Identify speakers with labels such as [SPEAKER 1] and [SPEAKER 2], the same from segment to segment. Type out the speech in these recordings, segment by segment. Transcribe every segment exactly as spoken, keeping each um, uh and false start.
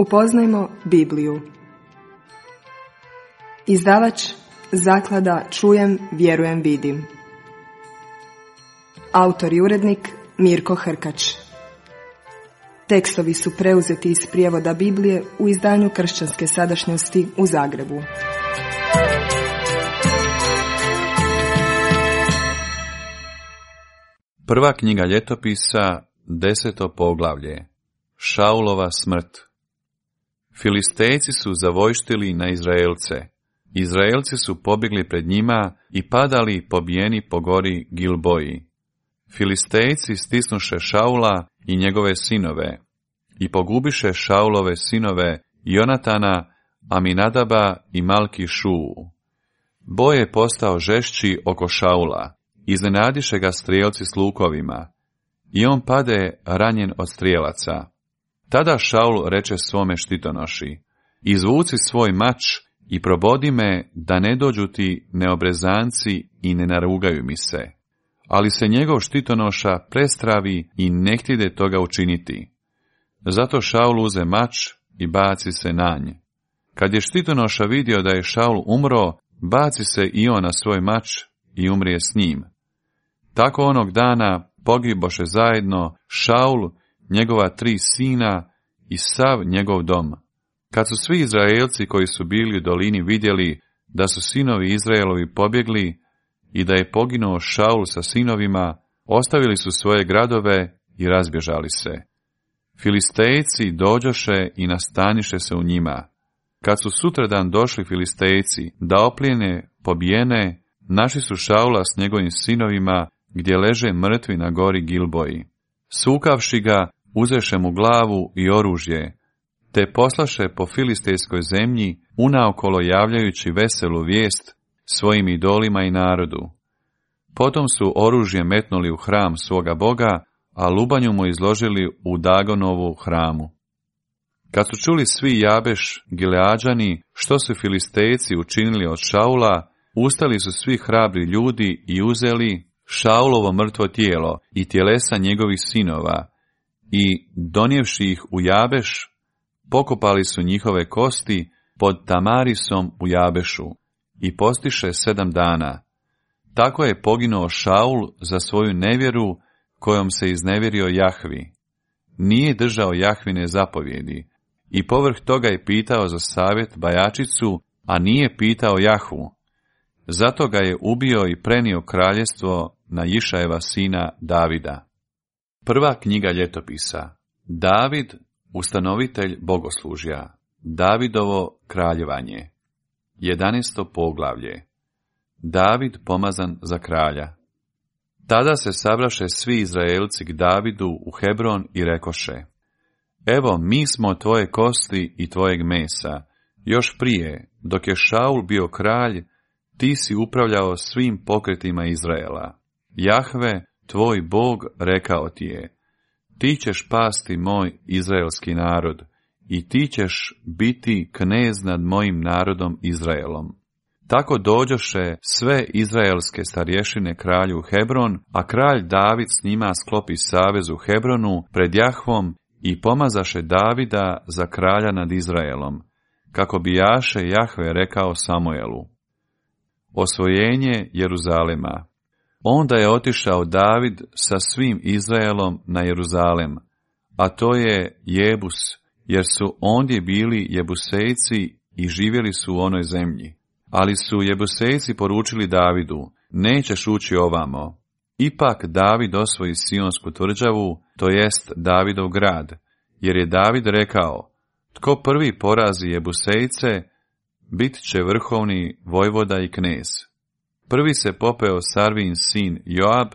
[SPEAKER 1] Upoznajmo Bibliju. Izdavač Zaklada Čujem, vjerujem, vidim. Autor i urednik Mirko Hrkač. Tekstovi su preuzeti iz prijevoda Biblije u izdanju Kršćanske sadašnjosti u Zagrebu.
[SPEAKER 2] Prva knjiga ljetopisa, deseto poglavlje. Šaulova smrt. Filistejci su zavojštili na Izraelce. Izraelci su pobjegli pred njima i padali pobijeni po gori Gilboji. Filistejci stisnuše Šaula i njegove sinove i pogubiše Šaulove sinove Jonatana, Aminadaba i Malki Šuu. Boj je postao žešći oko Šaula. Iznenadiše ga strijelci s lukovima i on pade ranjen od strijelaca. Tada Šaul reče svome štitonoši: izvuci svoj mač i probodi me da ne dođu ti neobrezanci i ne narugaju mi se. Ali se njegov štitonoša prestravi i ne htide toga učiniti. Zato Šaul uze mač i baci se na nj. Kad je štitonoša vidio da je Šaul umro, baci se i on na svoj mač i umrije s njim. Tako onog dana pogiboše zajedno Šaul, njegova tri sina i sav njegov dom. Kad su svi Izraelci koji su bili u dolini vidjeli da su sinovi Izraelovi pobjegli i da je poginuo Šaul sa sinovima, ostavili su svoje gradove i razbježali se. Filistejci dođoše i nastaniše se u njima. Kad su sutradan došli Filistejci da oplijene pobijene, našli su Šaula s njegovim sinovima gdje leže mrtvi na gori Gilboji. Sukavši ga, uzeše mu glavu i oružje, te poslaše po filistejskoj zemlji, unaokolo javljajući veselu vijest svojim idolima i narodu. Potom su oružje metnuli u hram svoga Boga, a lubanju mu izložili u Dagonovu hramu. Kad su čuli svi Jabeš Gileađani što su Filistejci učinili od Šaula, ustali su svi hrabri ljudi i uzeli Šaulovo mrtvo tijelo i tjelesa njegovih sinova i, donijevši ih u Jabeš, pokopali su njihove kosti pod Tamarisom u Jabešu i postiše sedam dana. Tako je poginuo Šaul za svoju nevjeru kojom se iznevjerio Jahvi. Nije držao Jahvine zapovjedi i povrh toga je pitao za savjet Bajačicu, a nije pitao Jahvu. Zato ga je ubio i prenio kraljevstvo na Išajeva sina Davida. Prva knjiga ljetopisa. David, ustanovitelj bogoslužja. Davidovo kraljevanje. Jedanaesto poglavlje. David pomazan za kralja. Tada se sabraše svi Izraelci k Davidu u Hebron i rekoše: evo, mi smo tvoje kosti i tvojeg mesa. Još prije, dok je Šaul bio kralj, ti si upravljao svim pokretima Izraela. Jahve, tvoj Bog, rekao ti je: ti ćeš pasti moj izraelski narod i ti ćeš biti knez nad mojim narodom Izraelom. Tako dođoše sve izraelske starješine kralju Hebron, a kralj David s njima sklopi savez u Hebronu pred Jahvom i pomazaše Davida za kralja nad Izraelom, kako bi jaše Jahve rekao Samuelu. Osvojenje Jeruzalema. Onda je otišao David sa svim Izraelom na Jeruzalem, a to je Jebus, jer su ondje bili Jebusejci i živjeli su u onoj zemlji. Ali su Jebusejci poručili Davidu: nećeš ući ovamo. Ipak David osvoji Sionsku tvrđavu, to jest Davidov grad, jer je David rekao: tko prvi porazi Jebusejce, bit će vrhovni vojvoda i knez. Prvi se popeo Sarvin sin Joab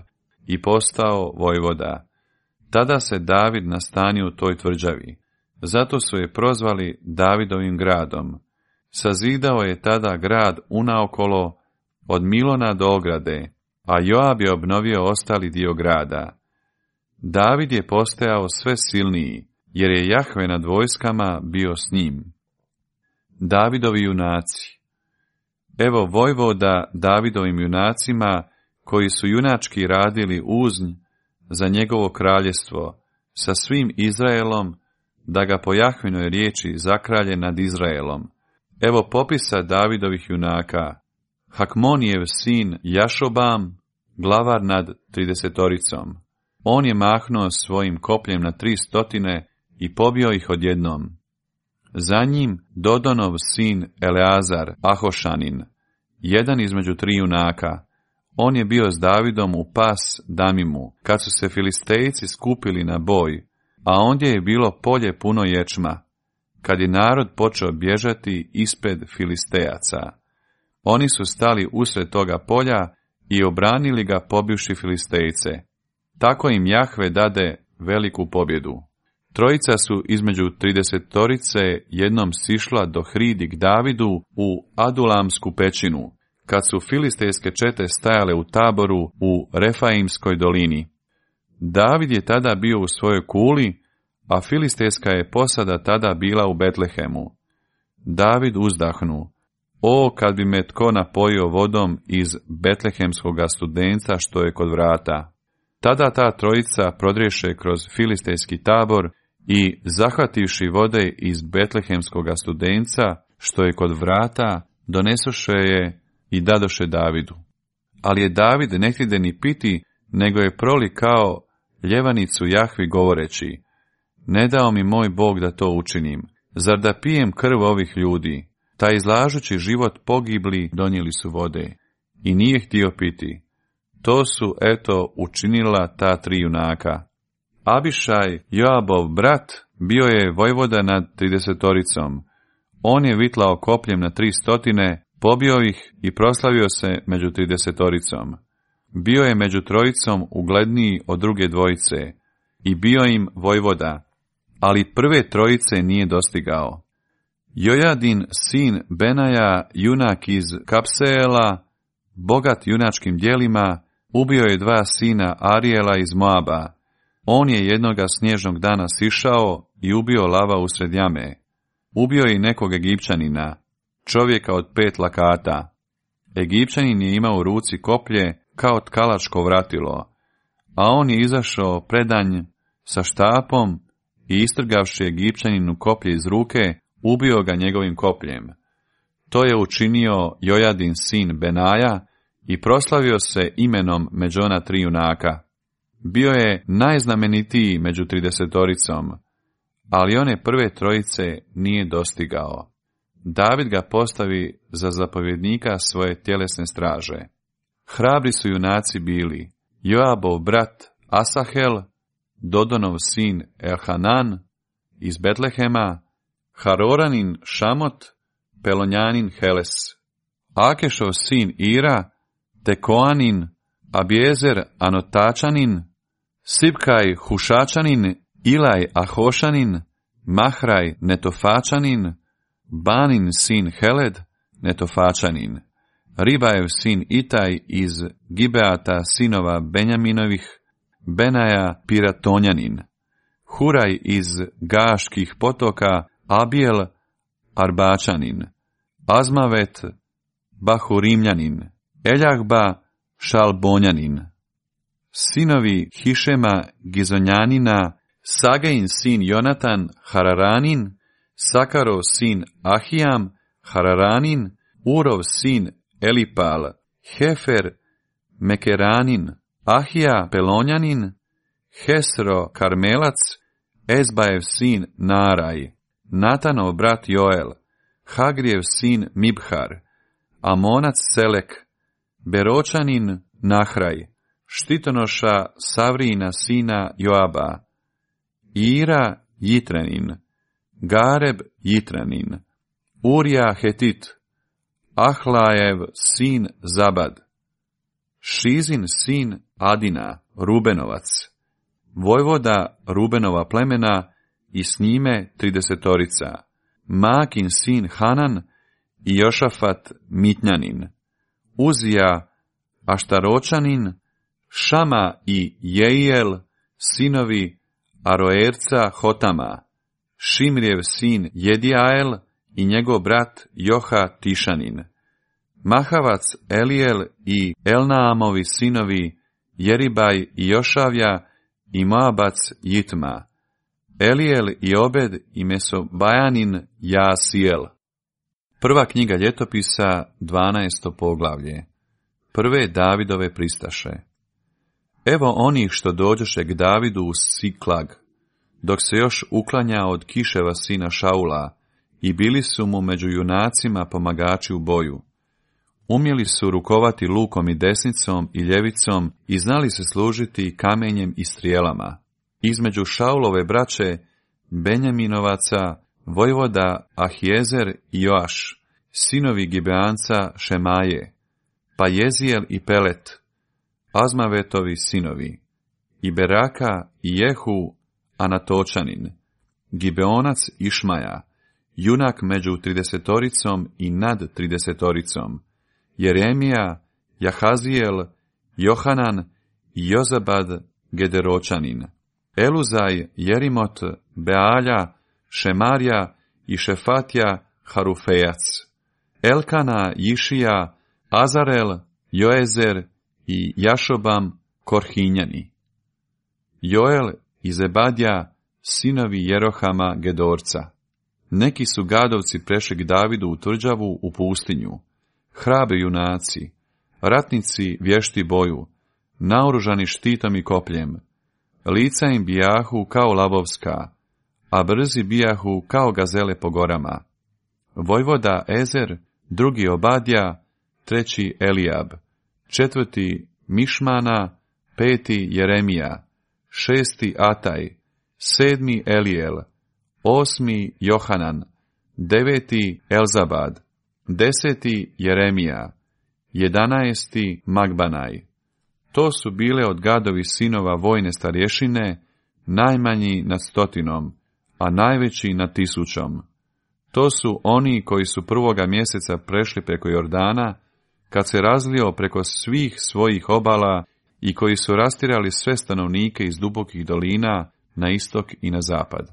[SPEAKER 2] i postao vojvoda. Tada se David nastanio u toj tvrđavi. Zato su je prozvali Davidovim gradom. Sazidao je tada grad unaokolo od Milona do ograde, a Joab je obnovio ostali dio grada. David je postajao sve silniji, jer je Jahve nad vojskama bio s njim. Davidovi junaci. Evo vojvoda Davidovim junacima, koji su junački radili uznj za njegovo kraljestvo, sa svim Izraelom, da ga po Jahvinoj riječi zakralje nad Izraelom. Evo popisa Davidovih junaka. Hakmonijev sin Jašobam, glavar nad tridesetoricom. On je mahnuo svojim kopljem na tri stotine i pobio ih odjednom. Za njim Dodonov sin Eleazar, Ahošanin, jedan između tri junaka. On je bio s Davidom u Pas Damimu, kad su se Filistejci skupili na boj, a ondje je bilo polje puno ječma, kad je narod počeo bježati ispred Filistejaca. Oni su stali usred toga polja i obranili ga pobivši Filistejce. Tako im Jahve dade veliku pobjedu. Trojica su između tridesetorice jednom sišla do hridi k Davidu u Adulamsku pećinu, kad su filistejske čete stajale u taboru u Refaimskoj dolini. David je tada bio u svojoj kuli, a filistejska je posada tada bila u Betlehemu. David uzdahnu: o, kad bi me tko napojio vodom iz betlehemskoga studenca što je kod vrata. Tada ta trojica prodriješe kroz filistejski tabor i, zahvativši vode iz betlehemskoga studenca što je kod vrata, donesoše je i dadoše Davidu. Ali je David ne htjede ni piti, nego je proli kao ljevanicu Jahvi govoreći: ne dao mi moj Bog da to učinim. Zar da pijem krv ovih ljudi? Taj izlažući život pogibli donijeli su vode. I nije htio piti. To su, eto, učinila ta tri junaka. Abišaj, Joabov brat, bio je vojvoda nad tridesetoricom. On je vitlao kopljem na tri stotine, pobio ih i proslavio se među tridesetoricom. Bio je među trojicom ugledniji od druge dvojice i bio im vojvoda, ali prve trojice nije dostigao. Jojadin, sin Benaja, junak iz Kapseela, bogat junačkim djelima, ubio je dva sina Arijela iz Moaba. On je jednoga snježnog dana sišao i ubio lava usred jame. Ubio je i nekog Egipćanina, čovjeka od pet lakata. Egipćanin je imao u ruci koplje kao tkalačko vratilo, a on je izašao predanj sa štapom i istrgavši Egipćaninu koplje iz ruke, ubio ga njegovim kopljem. To je učinio Jojadin sin Benaja i proslavio se imenom među ona tri junaka. Bio je najznamenitiji među tridesetoricom, ali one prve trojice nije dostigao. David ga postavi za zapovjednika svoje tjelesne straže. Hrabri su junaci bili Joabov brat Asahel, Dodonov sin Elhanan iz Betlehema, Haroranin Šamot, Pelonjanin Heles, Akešov sin Ira, Tekoanin, Abjezer Anotačanin, Sibkaj Hušačanin, Ilaj Ahošanin, Mahraj Netofačanin, Banin sin Heled, Netofačanin, Ribajev sin Itaj iz Gibeata sinova Benjaminovih, Benaja Piratonjanin, Huraj iz Gaških potoka, Abijel Arbačanin, Azmavet Bahurimljanin, Eljahba Šalbonjanin, sinovi Hišema Gizonjanina, Sagein sin Jonatan Hararanin, Sakarov sin Ahijam Hararanin, Urov sin Elipal, Hefer Mekeranin, Ahija Pelonjanin, Hesro Karmelac, Ezbajev sin Naraj, Natanov brat Joel, Hagrijev sin Mibhar, Amonac Selek, Beročanin Nahraj, štitonoša Savrijina sina Joaba, Ira Jitrenin, Gareb Jitrenin, Urija Hetit, Ahlajev sin Zabad, Šizin sin Adina, Rubenovac, vojvoda Rubenova plemena i s njime tridesetorica, Makin sin Hanan i Jošafat Mitnjanin, Uzija Aštaročanin, Šama i Jeiel, sinovi Aroerca Hotama, Šimrijev sin Jedijael i njegov brat Joha Tišanin, Mahavac Elijel i Elnaamovi sinovi Jeribaj i Jošavja i Moabac Jitma, Elijel i Obed i Mesobajanin Jaasijel. Prva knjiga ljetopisa, dvanaesto poglavlje. Prve Davidove pristaše. Evo onih što dođoše k Davidu u Siklag, dok se još uklanja od Kiševa sina Šaula, i bili su mu među junacima pomagači u boju. Umjeli su rukovati lukom i desnicom i ljevicom i znali se služiti kamenjem i strijelama. Između Šaulove braće, Benjaminovaca, vojvoda Ahijezer i Joaš, sinovi Gibeanca Šemaje, pa Jezijel i Pelet, Azmavetovi sinovi, i Beraka i Jehu Anatočanin, Gibeonac Išmaja, junak među tridesetoricom i nad tridesetoricom, Jeremija, Jahazijel, Johanan i Jozabad Gederočanin, Eluzaj, Jerimot, Bealja, Šemarja i Šefatja Harufejac, Elkana, Jišija, Azarel, Joezer i Jašobam Korhinjani, Joel i Zebadja, sinovi Jerohama Gedorca. Neki su gadovci prešli k Davidu u tvrđavu u pustinju, hrabri junaci, ratnici vješti boju, naoružani štitom i kopljem, lica im bijahu kao lavovska, a brzi bijahu kao gazele po gorama. Vojvoda Ezer, drugi Obadja, treći Elijab, četvrti Mišmana, peti Jeremija, šesti Ataj, sedmi Elijel, osmi Johanan, deveti Elzabad, deseti Jeremija, jedanaesti Magbanaj. To su bile od Gadovi sinova vojne starješine, najmanji nad stotinom, a najveći nad tisućom. To su oni koji su prvoga mjeseca prešli preko Jordana, kad se razlio preko svih svojih obala i koji su rastirali sve stanovnike iz dubokih dolina na istok i na zapad.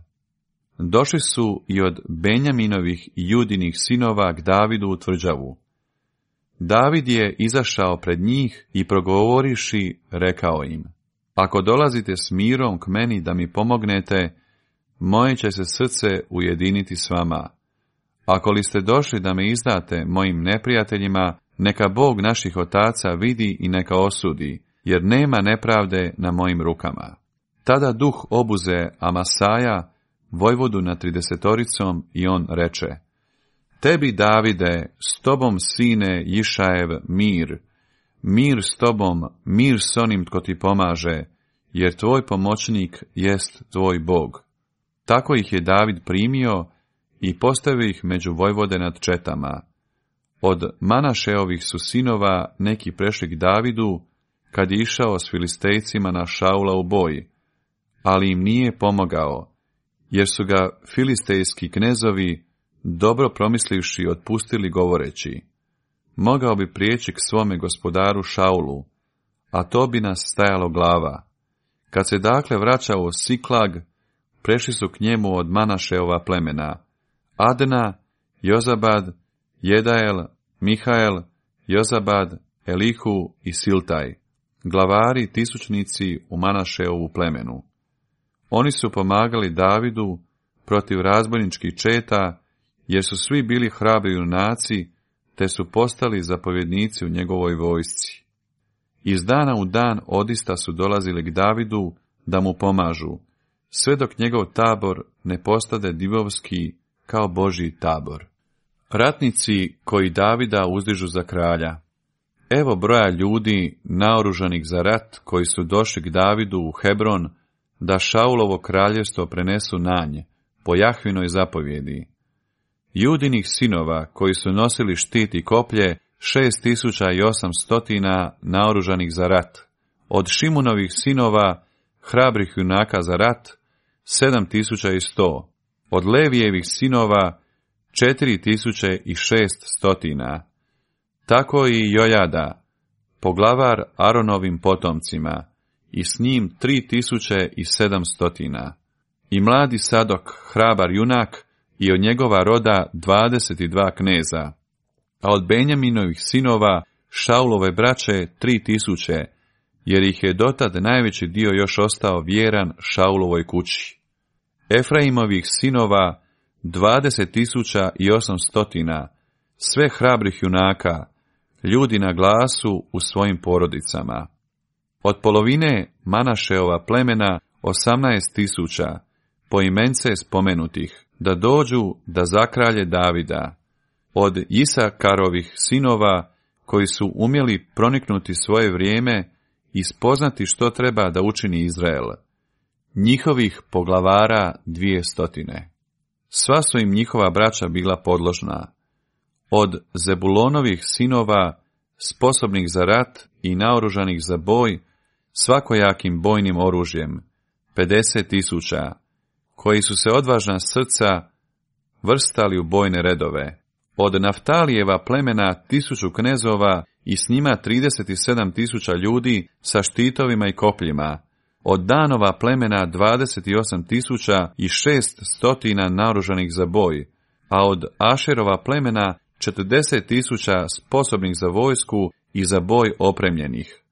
[SPEAKER 2] Došli su i od Benjaminovih i Judinih sinova k Davidu u tvrđavu. David je izašao pred njih i progovoriši, rekao im: Ako dolazite s mirom k meni da mi pomognete, moje će se srce ujediniti s vama. Ako li ste došli da me izdate mojim neprijateljima, neka Bog naših otaca vidi i neka osudi, jer nema nepravde na mojim rukama. Tada duh obuze Amasaja, vojvodu nad tridesetoricom, i on reče: Tebi, Davide, s tobom, sine Jišajev, mir, mir s tobom, mir s onim tko ti pomaže, jer tvoj pomoćnik jest tvoj Bog. Tako ih je David primio i postavio ih među vojvode nad četama. Od Manašeovih su sinova neki prešli k Davidu, kad je išao s Filistejcima na Šaula u boj, ali im nije pomogao, jer su ga filistejski knezovi, dobro promislivši, otpustili govoreći: Mogao bi prijeći k svome gospodaru Šaulu, a to bi nas stajalo glava. Kad se dakle vraćao u Siklag, prešli su k njemu od Manašeova plemena: Adna, Jozabad, Jedael, Mihael, Jozabad, Elihu i Siltaj, glavari tisućnici u Manašeovu plemenu. Oni su pomagali Davidu protiv razbojničkih četa, jer su svi bili hrabri junaci, te su postali zapovjednici u njegovoj vojsci. Iz dana u dan odista su dolazili k Davidu da mu pomažu, sve dok njegov tabor ne postade divovski kao Božji tabor. Ratnici koji Davida uzdižu za kralja. Evo broja ljudi naoružanih za rat koji su došli k Davidu u Hebron, da Šaulovo kraljevstvo prenesu na nje, po Jahvinoj zapovjedi. Judinih sinova koji su nosili štit i koplje, šest tisuća i osamstotina naoružanih za rat. Od Šimunovih sinova, hrabrih junaka za rat, sedam tisuća i sto. Od Levijevih sinova, četiri tisuće i šest stotina. Tako i Jojada, poglavar Aronovim potomcima, i s njim tri tisuće i sedam stotina. I mladi Sadok, hrabar junak, i od njegova roda dvadeset dva kneza. A od Benjaminovih sinova, Šaulove braće, tri tisuće, jer ih je dotad najveći dio još ostao vjeran Šaulovoj kući. Efraimovih sinova dvadeset tisuća i osamstotina, sve hrabrih junaka, ljudi na glasu u svojim porodicama. Od polovine Manašeova plemena osamnaest tisuća, poimence spomenutih, da dođu da zakralje Davida. Od Isakarovih sinova, koji su umjeli proniknuti svoje vrijeme i spoznati što treba da učini Izrael, njihovih poglavara dvije stotine. Sva su im njihova braća bila podložna. Od Zebulonovih sinova, sposobnih za rat i naoružanih za boj, svakojakim bojnim oružjem, pedeset tisuća, koji su se odvažna srca vrstali u bojne redove. Od Naftalijeva plemena tisuću knezova i s njima trideset sedam tisuća ljudi sa štitovima i kopljima. Od Danova plemena dvadeset osam tisuća i šest stotina naoružanih za boj, a od Ašerova plemena četrdeset tisuća sposobnih za vojsku i za boj opremljenih.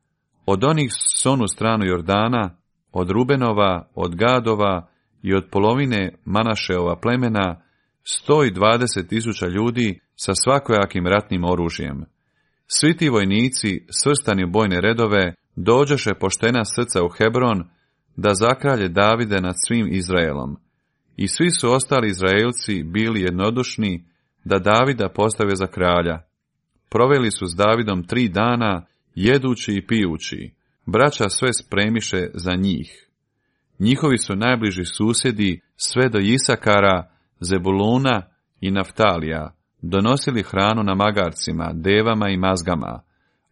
[SPEAKER 2] Od onih s onu stranu Jordana, od Rubenova, od Gadova i od polovine Manašeova plemena, sto dvadeset tisuća ljudi sa svakojakim ratnim oružjem. Svi ti vojnici, svrstani u bojne redove, dođeše poštena srca u Hebron, da zakralje Davide nad svim Izraelom. I svi su ostali Izraelci bili jednodušni, da Davida postave za kralja. Proveli su s Davidom tri dana, jedući i pijući. Braća sve spremiše za njih. Njihovi su najbliži susjedi sve do Isakara, Zebuluna i Naftalija donosili hranu na magarcima, devama i mazgama,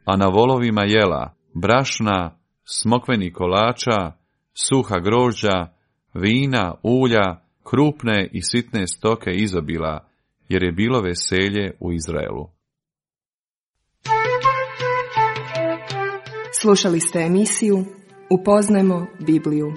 [SPEAKER 2] a na volovima jela, brašna, smokvenih kolača, suha grožđa, vina, ulja, krupne i sitne stoke izobila, jer je bilo veselje u Izraelu.
[SPEAKER 1] Slušali ste emisiju Upoznajmo Bibliju.